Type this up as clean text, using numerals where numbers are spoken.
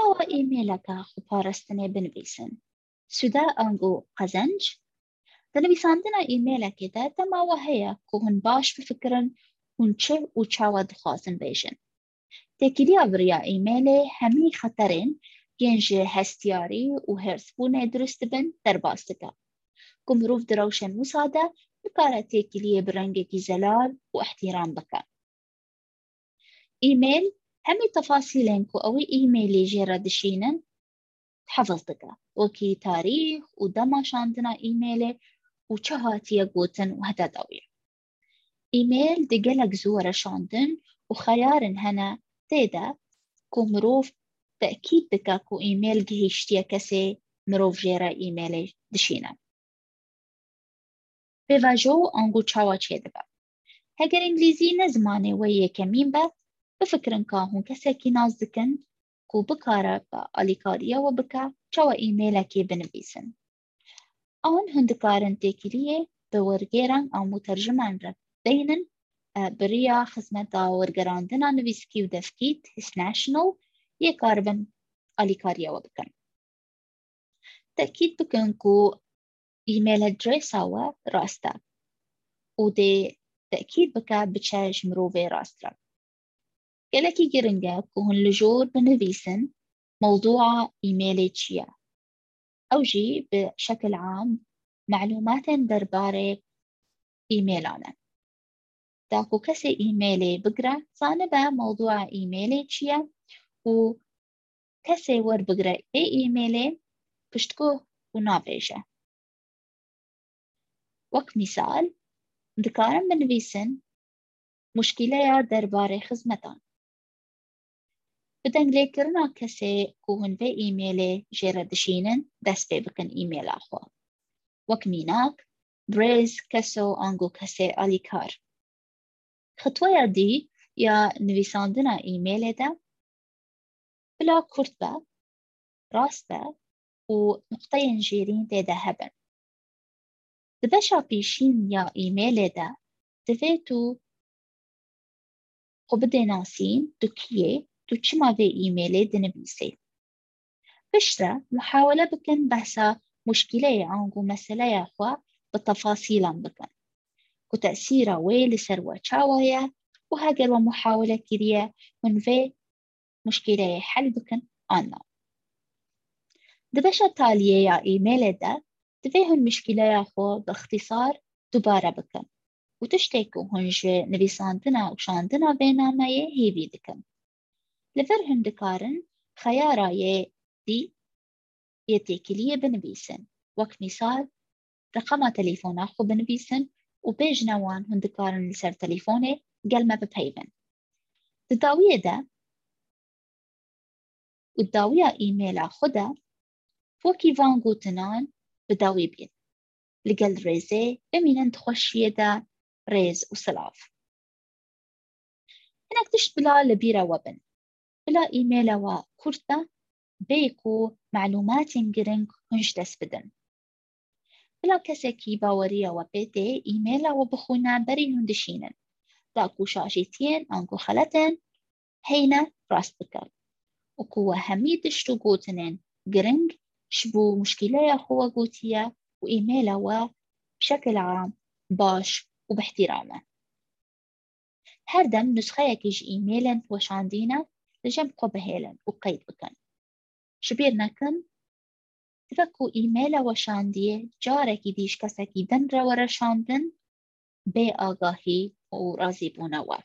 Çawa e-maileke xweparastinê binivîsin? Sûde ango qezenc? Di nivîsandina e-mailekê de dema we heye ku hûn baş bifikirin hûn çi û çawa dixwazin bêjin. Têkiliya bi riya e-mailê hemî xeterên yên ji hestiyarî û hêrsbûnê dirust dibin derbas dike. Ku mirov di rewşên wisa de nikare têkiliyê bi rengekî zelal û îhtîram bike. E-mail hemî tefasîlên ku ew ê e-mailê jê re dişînin hifz dike, wekî tarîx û dema şandina e-mailê û çi hatiye gotin û heta dawiyê. E-mail di gelek zû were şandin û xeyarên hene tê de ku mirov tekîd dike ku e-mail gihîştiye kesê mirov jê re e-mailê dişîne. Pêvajo ango çawa çêdibe? Heger îngilîzî ne zimanê we yekemîn be, bifikirin ka hûn kesekî nas dikin ku bikare bi alîkariya we bike çawa e-mailekê binivîsin. An hûn dikarin têkiliyê bi wergêran an muterjiman re deynin bi riya xizmeta wergerandina nivîskî û devkî TIS National yê karibin alîkariya we bikin. Tekîd bikin ku e-mail adresa we rast e û dê tekîd bike biçe ji mirovê rast re. Gelekî giring e ku hûn li jor binivîsin mewzûa e-mailê çi ye. Ew jî bi şekil am melûmatên derbarê e-mailan e. Da ku kesê e-mailê bigire zanibe mewzûa e-mailê çi ye û kesê werbigire ê e-mailê piştguh û navêje. Wek mîsal dikarin binivîsin muşkîleya derbarê xizmetan. Bi denglêkirina kesê ku hûn vê e-mailê jê re dişînin dest pê bikin e-maila xwe. Wek mînak, Birêz keso ango kesê alîkar. Xitweya dî ya nivîsandina e-mailê de bila kurt be, rast be û nuqteyên jêrîn tê de hebin. Di beşa pêşîn ya e-mailê de divê tu xwe bidê nasîn tu kî yê, tu çima vê e-mailê dinivîsê. Piştre muhawele bikin behsa muşkîleyê ango meseleya xwe bi tefasîlan bikin ku tesîra wê li ser we çawa ye û heger we muhawele kiriye hûn vê muşkîleyê hel bikin an na. Di beşa taliyê ya e-mailê de divê hûn muşkîleya xwe bi ixtîsar dubare bikin û tiştê ku hûn ji nivîsandina û şandina vê nameyê hêvî dikin. Li vir hûn dikarin xeyara yê dî yê têkiliyê binivîsin. Wek mîsal reqema telefona xwe binivîsin û bêjine wan hûn dikarin li ser telefonê gel me bipeyvin. Di dawiyê de û dawiya e-maila xwe de wekî van gotinan bi dawî bîn. Li gel rêzê bimînin di xweşiyê de rêz û silav. Hinek tişt bila li bîra we bin. Bila e-maila we kurt be bê ku melûmatên giring hûn ji dest bidin. Bila kesekî baweriya we pê tê e-maila we bixwîne berî hûn dişînin. Da ku şaşîtiyên ango xeletên heyne rast bike û ku we hemî tişt û gotinên giring ji bo muşkîleya xwe we gotiye û e-maila we bi şekil am baş û bi îhtîram e. Her dem nusxeyekî ji e-mailên weşandîne li cem xwe bihêlin û qeyd bikin. Ji bîr nekin dibe ku e-maila weşandiyê carekî dî ji kesekî din re were şandin bê agahî û razîbûna we.